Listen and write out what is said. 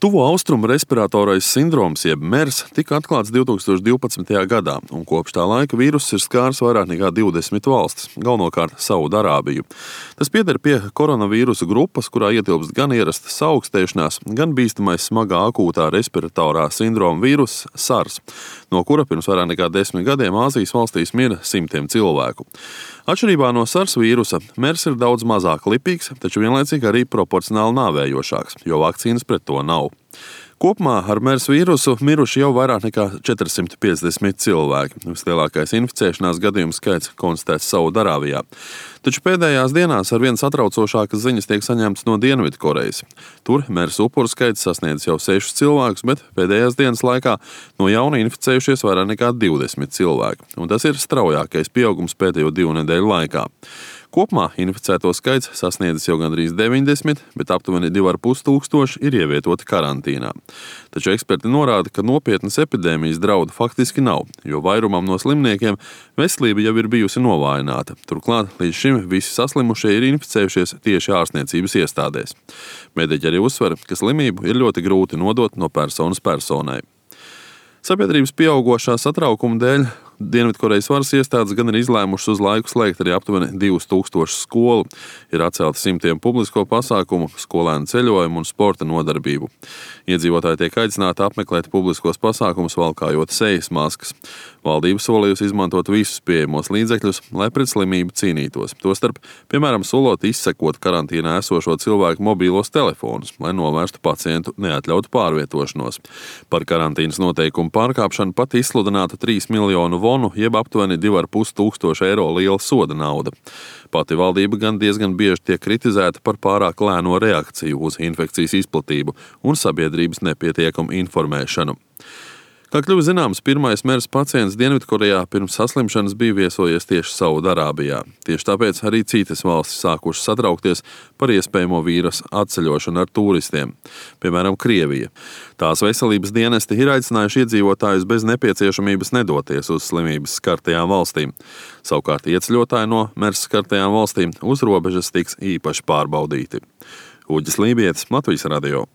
Tuvo austrumu respiratorais sindroms, jeb MERS, tika atklāts 2012. gadā, un kopš tā laika vīruss ir skārs vairāk nekā 20 valstis, galvenokārt Saudarābiju. Tas pieder pie koronavīrusa grupas, kurā ietilpst gan ierasta saaukstēšanās, gan bīstamais smagā akūtā respiratorā sindroma vīruss SARS, no kura pirms vairāk nekā 10 gadiem Āzijas valstīs mira simtiem cilvēku. Atšķirībā no SARS vīrusa, MERS ir daudz mazāk lipīgs, taču vienlaicīgi arī proporcionāli nāvējošāks, jo vakcīnas pret to nav. Kopumā ar MERS vīrusu miruši jau vairāk nekā 450 cilvēki. Vislielākais inficēšanās gadījumu skaits konstatēts Saudarābijā. Taču pēdējās dienās arvien satraucošākas ziņas tiek saņemtas no Dienvidkorejas. Tur MERS upuru skaits sasniedz jau 6 cilvēkus, bet pēdējās dienas laikā no jauna inficējušies vairāk nekā 20 cilvēki. Un tas ir straujākais pieaugums pēdējo 2 nedēļu laikā. Kopumā inficēto skaits sasniedzis jau gandrīz 90, bet aptuveni 2,5 tūkstoši ir ievietoti karantīnā. Taču eksperti norāda, ka nopietnas epidēmijas draudu faktiski nav, jo vairumam no slimniekiem veselība jau ir bijusi novājināta. Turklāt līdz šim visi saslimušie ir inficējušies tieši ārstniecības iestādēs. Mediķi arī uzsver, ka slimību ir ļoti grūti nodot no personas personai. Sabiedrības pieaugošā satraukuma dēļ Dienvidkorejas varas iestādes gan ir izlēmušas uz laiku slēgt arī aptuveni 2000 skolu. Ir atcelti simtiem publisko pasākumu, skolēnu ceļojumu un sporta nodarbību. Iedzīvotāji tiek aicināti apmeklēt publiskos pasākumus, valkājot sejas maskas. Valdība solījusi izmantot visus pieejamos līdzekļus, lai pret slimību cīnītos. Tostarp, piemēram, solot izsekot karantīnā esošo cilvēku mobīlos telefonus, lai novērstu pacientu neatļautu pārvietošanos. Par karantīnas noteikumu pārkāpšanu pat izsludināta 3 miljonu vonu, jeb aptuveni 2,5 tūkstoši eiro liela soda nauda. Pati valdība gan diezgan bieži tiek kritizēta par pārāk lēno reakciju uz infekcijas izplatību un sabiedrības nepietiekamu informēšanu. Kā kļuva zināms, pirmais MERS pacients Dienvidkorejā pirms saslimšanas bija viesojies tieši Saudarābijā. Tieši tāpēc arī citas valstis sākušas satraukties par iespējamo vīrusu atceļošanu ar turistiem, piemēram, Krievija. Tās veselības dienesti ir aicinājuši iedzīvotājus bez nepieciešamības nedoties uz slimības skartajām valstīm. Savukārt ieceļotāji no MERS skartajām valstīm uz robežas tiks īpaši pārbaudīti. Uģis Lībietis, Latvijas radio.